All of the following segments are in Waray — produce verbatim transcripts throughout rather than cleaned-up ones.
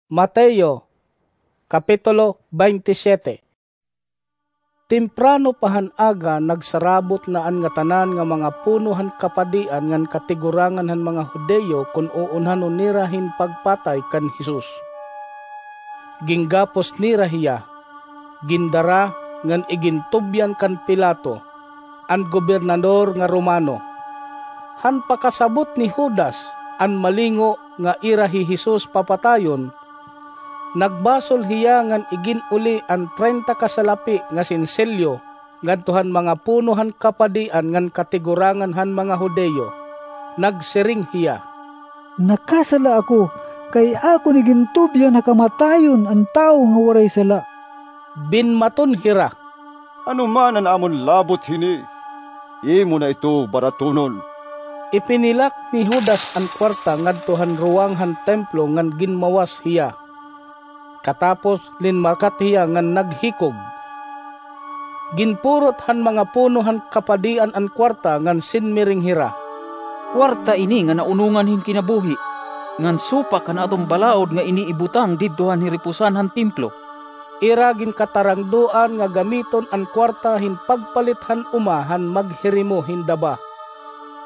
Mateo, Kapitulo twenty-seven. Temprano pa han aga, nagsarabot na an ngatanan nga mga puno han kapadian ngan katigurangan han mga Judio kon uunhanon nira hin pagpatay kan Jesus. Ginggapos nira hiya, gindara ngan igintubyan kan Pilato, an gobernador nga Romano. Han pakasabot ni Judas, an malingo nga ira hi Jesus papatayon, nagbasol hiya ngan igin-uli an treinta ka salapi nga sensilyo ngadto han mga puno han kapadian ngan katigurangan han mga Judio. Nagsiring hiya, "Nakasala ako, kay akon igintubyan ha kamatayon an tawo nga waray sala." Binmaton hira, "Ano man an amon labot hini, imo na ito baratonon." Ipinilak ni Judas an kuwarta ngadto han ruwang han templo ngan ginmawas hiya. Katapos, linmakat hiya ngan naghikog. Ginpurot han mga puno han kapadian an kuwarta ngan sinmiring hira, "Kuwarta ini nga naunongan hin kinabuhi, ngan supak han aton balaod nga ini ibutang didto han hiripusan han templo." Ira ginkatarangdoan nga gamiton an kuwarta hin pagpalit han uma han maghirimo hin daba,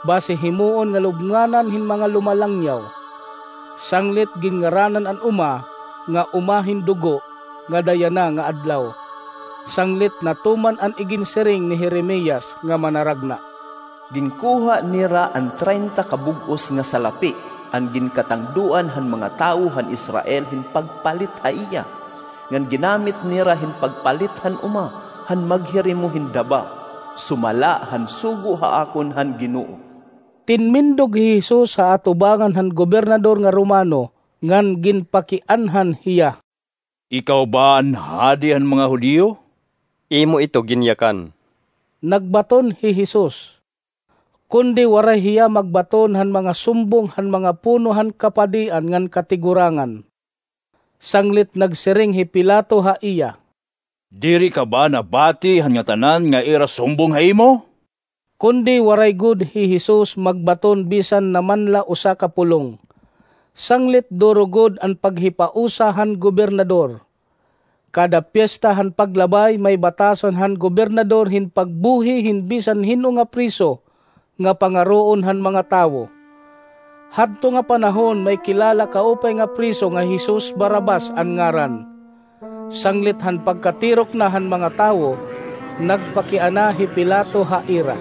basi himoon nga lubnganan hin mga lumalangyaw. Sanglit ginngaranan an uma nga Uma hin Dugo nga Dayana nga Adlaw, sanglit natuman an iginsiring ni Jeremias nga manaragna, "Ginkuha nira an treinta ka bug-os nga salapi, an ginkatangdoan han mga tawo han Israel hin pagpalit ha iya, ngan ginamit nira hin pagpalit han uma han maghirimo hin daba, sumala han sugo ha akon han Ginoo." Tinmindog hi Jesus ha atubangan han gobernador nga Romano, ngan ginpakianhan hiya, "Ikaw ba an hadi han mga Judio?" "Imo ito ginyakan," nagbaton hi Jesus. Kundi waray hiya magbaton han mga sumbong han mga puno han kapadian ngan katigurangan. Sanglit nagsiring hi Pilato ha iya, "Diri ka ba nabati han ngatanan nga ira sumbong ha imo?" Kundi waray gud hi Jesus magbaton bisan naman la usa ka pulong. Sanglit duro gud an paghipausa han gobernador. Kada piyesta han Paglabay, may batasan han gobernador hin pagbuhi hin bisan hin-o nga priso nga pangaroon han mga tawo. Hadto nga panahon, may kilala kaupay nga priso nga Jesus Barrabas an ngaran. Sanglit han pagkatirok na han mga tawo, nagpakiana hi Pilato ha ira,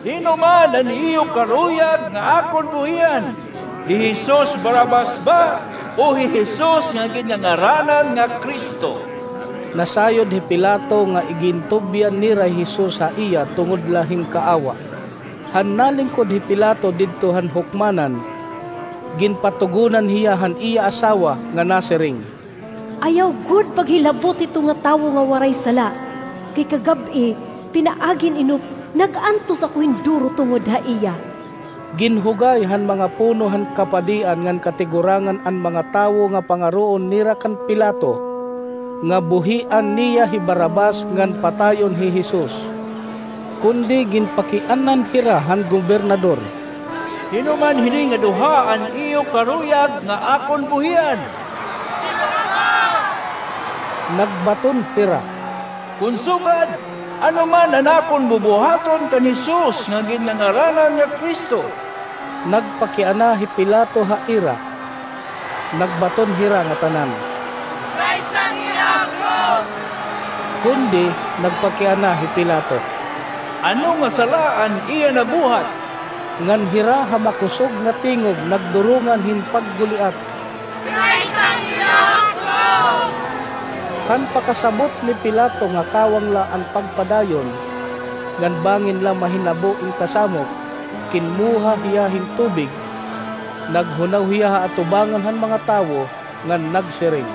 "Hin-o man an iyo karuyag nga akon buhian? Hi Jesus Barrabas ba o hi Jesus nga ginngangaranan nga Cristo?" Nasayod hi Pilato nga igintubyan nira hi Jesus ha iya tungod la hin kaawa. Han nalingkod hi Pilato didto han hukmanan, ginpatugonan hiya han iya asawa nga nasiring, "Ayaw gud paghilabot hito nga tawo nga waray sala, kay kagab-i, pinaagin inop, nag-antos ako hin duro tungod ha iya." Ginhugay han mga puno han kapadian ngan katigurangan an mga tawo nga pangaroon nira kan Pilato, nga buhian niya hi Barrabas ngan patayon hi Jesus. Kundi ginpakianhan hira han gobernador, "Hin-o man hini nga duha an iyo karuyag nga akon buhian?" Nagbaton hira, "Kon sugad, ano man an akon bubuhaton kan Jesus nga ginngangaranan nga Cristo?" Nagpakiana hi Pilato ha ira. Nagbaton hira ngatanan, "Ikraysan hiya ha krus!" Kundi nagpakiana hi Pilato, "Ano nga sala an iya nabuhat?" Ngan hira ha makusog nga tingog nagdurongan hin pagguliat, "Ikraysan hiya ha krus!" Han pakasabot ni Pilato nga kawang la an pagpadayon, ngan bangin la mahinabo in kasamok, kinmuha hiya hin tubig, naghunaw hiya ha atubangan han mga tawo, ngan nagsiring,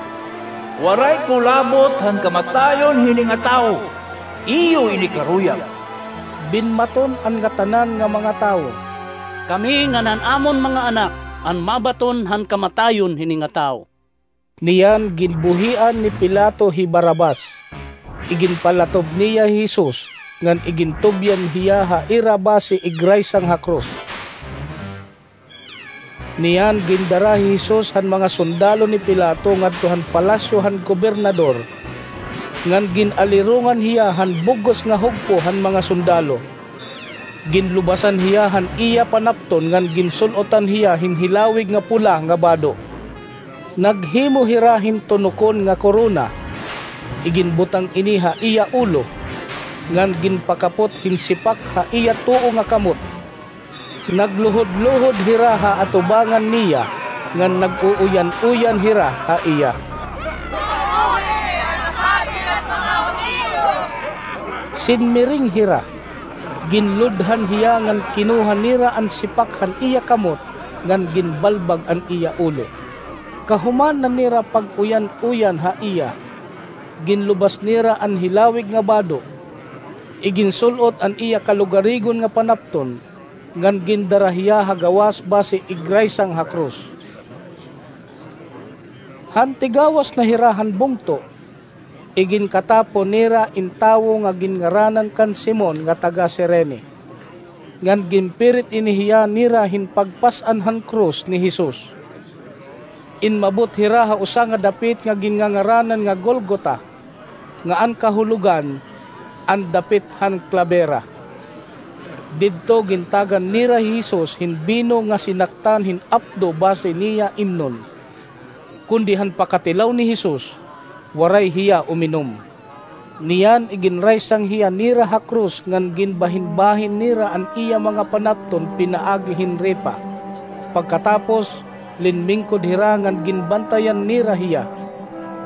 "Waray ko labot han kamatayon hini nga tawo. Iyo ini karuyag." Binmaton an ngatanan nga mga tawo, "Kami ngan an amon mga anak an mabaton han kamatayon hini nga tawo." Niyan ginbuhian ni Pilato hi Barrabas. Iginpalatob niya hi Jesus, ngan igintubyan hiya ha ira basi igraysang ha krus. Niyan gindara hi Jesus han mga sundalo ni Pilato ngadto han palasyo han gobernador, ngan gin-alirongan hiya han bug-os nga hugpo han mga sundalo. Ginlubasan hiya han iya panapton ngan ginsul-otan hiya hin hilawig nga pula nga bado. Naghimo hira hin tunokon nga korona. Iginbutang ini ha iya ulo, ngan ginpakapot hin sipak ha iya tuo nga kamot. Nagluhod-luhod hira ha atubangan niya, ngan nag-uuyan-uyan hira ha iya. Sinmiring hira, ginludhan hiya ngan kinuha nira an sipak han iya kamot, ngan ginbalbag an iya ulo. Kahuman na nira pag-uyan-uyan ha iya, ginlubas nira an hilawig nga bado. Iginsul-ot an iya kalugarigon nga panapton, ngan gindara hiya ha gawas basi igraysang ha krus. Han tigawas na hira han bungto, iginkatapo nira in tawo nga ginngaranan kan Simon nga taga Cirene, ngan ginpirit ini hiya nira hin pagpas-an han krus ni Jesus. Inmabot hira ha usa nga dapit nga ginngangaranan nga Golgota, nga an kahulogan, an dapit han klabera. Didto gintagan nira hi Jesus hin bino nga sinaktan hin apdo basi niya imnon. Kundi han pakatilaw ni Jesus, waray hiya uminom. Niyan iginraysang hiya nira ha krus ngan ginbahinbahin nira an iya mga panapton pinaagi hin ripa. Pagkatapos, linmingkod hira ngan ginbantayan nira hiya.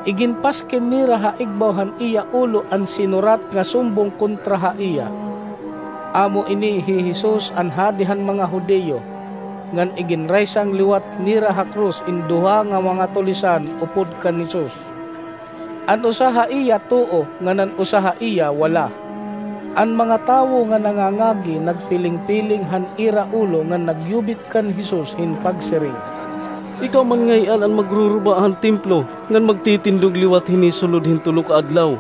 Iginpaskin nira ha igbaw han iya ulo an sinurat nga sumbong kontra ha iya. Amo ini hi Jesus an Hadi han mga Judio, ngan iginraysang liwat nira ha krus in duha nga mga tulisan upod kan Jesus. An usa ha iya tuo, ngan an usa ha iya wala. An mga tawo nga nangangagi nagpiling-piling han ira ulo ngan nagyubit kan Jesus hin pagsiring, "Ikaw man ngay-an an magruruba han templo ngan magtitindog liwat hini sulod hin tulo ka adlaw.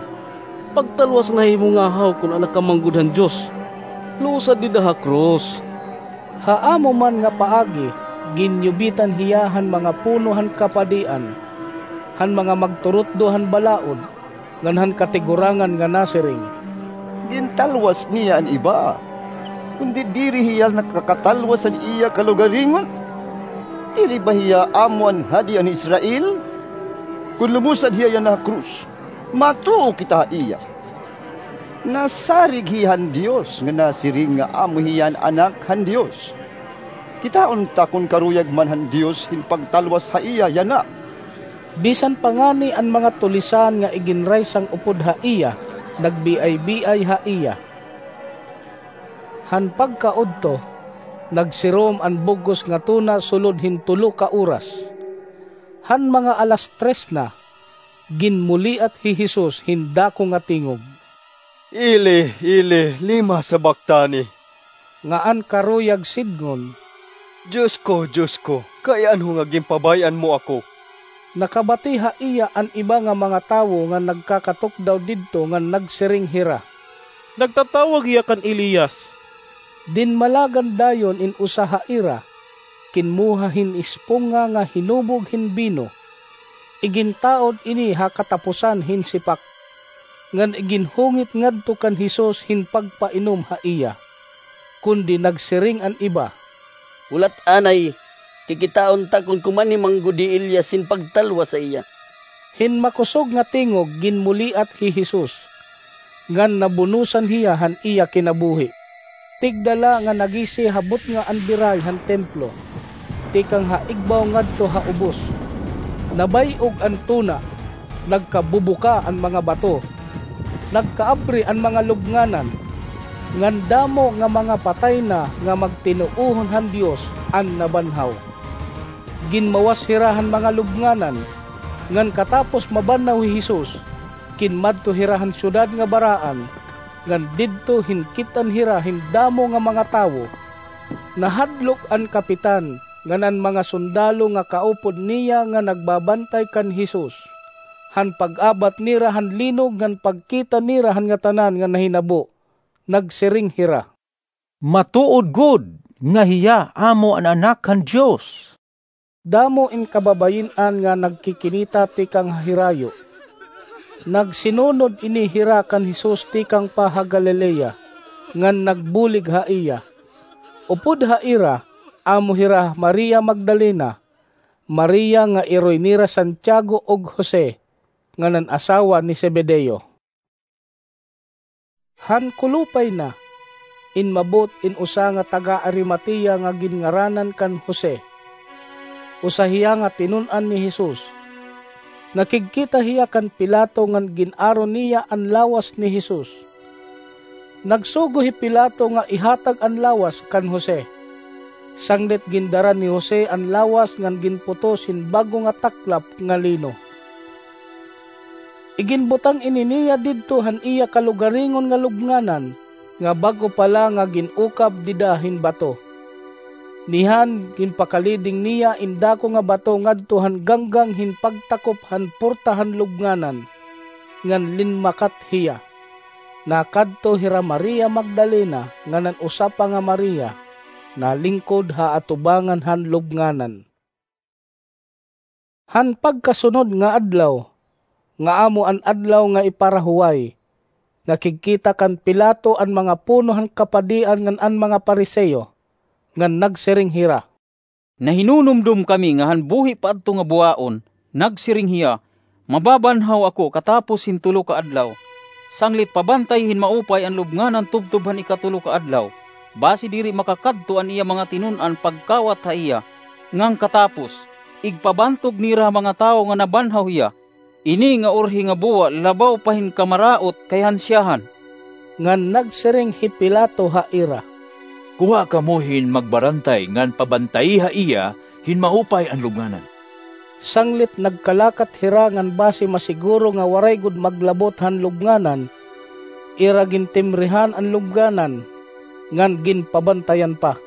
Pagtalwas na ha imo ngahaw kon anak ka man gud han Dios. Luosa dida ha krus." Ha amo man nga paagi, ginyubitan hiya han mga puno han kapadian, han mga magturutdo han balaod, ngan han katigurangan nga nasiring, "Gintalwas niya an iba, kundi diri hiya nakakatalwas han iya kalugaringon. Diri ba hiya amo an Hadi han Israel? Kon lumusad hiya yana ha krus, matuo kita ha iya. Nasarig hiya han Dios nga nasiring nga amo hiya an Anak han Dios. Kitaon ta kon karuyag man han Dios hin pagtalwas ha iya yana." Bisan pa ngani an mga tulisan nga iginraysang upod ha iya, nagbiay-biay ha iya. Han pagkaudto, nagsirom an bug-os nga tuna sulod hin tulo ka oras. Han mga alas tres na, ginmuliat hi Jesus hin dako nga tingog, "Eli, Eli, lema sabactani?" Nga an karuyag sidngon, "Dios ko, Dios ko, kay ano nga ginpabay-an mo ako?" Nakabati ha iya an iba nga mga tawo nga nagkakatukdaw didto ngan nagsiring hira, "Nagtatawag hiya kan Elias." Dinmalagan dayon in usa ha ira, kinmuha hin esponga nga hinubog hin bino. Igintaod ini ha katapusan hin sipak, ngan iginhungit ngadto kan Jesus hin pagpainom ha iya. Kundi nagsiring an iba, "Hulat anay, kikitaon ta kon kumanhi man gud hi Elias hin pagtalwas ha iya." Hin makusog nga tingog ginmuliat hi Jesus, ngan nabunosan hiya han iya kinabuhi. Tigda la nga nagisi ha butnga an biray han templo, tikang ha igbaw ngadto ha ubos. Nabay-og an tuna, nagkabubuka an mga bato, nagkaabri an mga lubnganan, ngan damo nga mga patay na nga magtinuohon han Dios an nabanhaw. Ginmawas hira han mga lubnganan, ngan katapos mabanhaw hi Jesus, kinmadto hira han syudad nga baraan, ngan didto hinkit-an hira hin damo nga mga tawo. Nahadlok an kapitan ngan an mga sundalo nga kaupod niya nga nagbabantay kan Jesus. Han pag-abat nira han linog ngan pagkita nira han ngatanan nga nahinabo, nagsiring hira, "Matuod gud nga hiya amo an Anak han Dios." Damo in kababayin-an nga nagkikinita tikang ha hirayo. Nagsinunod ini hira kan Jesus tikang pa ha Galilea, ngan nagbulig ha iya. Upod ha ira, amo hira Maria Magdalena, Maria nga iroy nira Santiago ug Jose, ngan an asawa ni Zebedeo. Han kulopay na, inmabot in usa nga taga-Arimatea nga ginngaranan kan Jose. Usa hiya nga tinun-an ni Jesus. Nakigkita hiya kan Pilato ngan gin-aro niya an lawas ni Jesus. Nagsugo hi Pilato nga ihatag an lawas kan Jose. Sanglit gindara ni Jose an lawas ngan ginputos hin bag-o nga taklap nga lino. Iginbutang ini niya didto han iya kalugaringon nga lubnganan, nga bag-o pa la nga gin-ukab dida hin bato. Nihan, ginpakaliding niya in dako nga bato ngadto han ganggang hin pagtakop han porta han lubnganan, ngan linmakat hiya. Nakadto hira Maria Magdalena ngan an usa pa nga Maria, nalingkod ha atubangan han lubnganan. Han pagkasunod nga adlaw, nga amo an adlaw nga iparahuway, nakigkita kan Pilato an mga puno han kapadian ngan an mga Pariseo, ngan nagsiring hira, "Nahinunumdom kami nga han buhi pa adto nga buwaon, nagsiring hiya, 'Mababanhaw ako katapos hin tulo ka adlaw.' Sanglit pabantay hin maupay an lubnganan tubtob han ikatulo ka adlaw, basi diri makakadto an iya mga tinun-an pagkawat ha iya, ngan katapos, igpabantog nira ha mga tawo nga nabanhaw hiya. Ini nga urhi nga buwa labaw pa hin kamaraot kay han siyahan." Ngan nagsiring hi Pilato ha ira, "Kuha kamo hin magbarantay ngan pabantayi ha iya hin maupay an lubnganan." Sanglit nagkalakat hira ngan basi masiguro nga waray gud maglabot han lubnganan, ira gintimrihan an lubnganan, ngan ginpabantayan pa.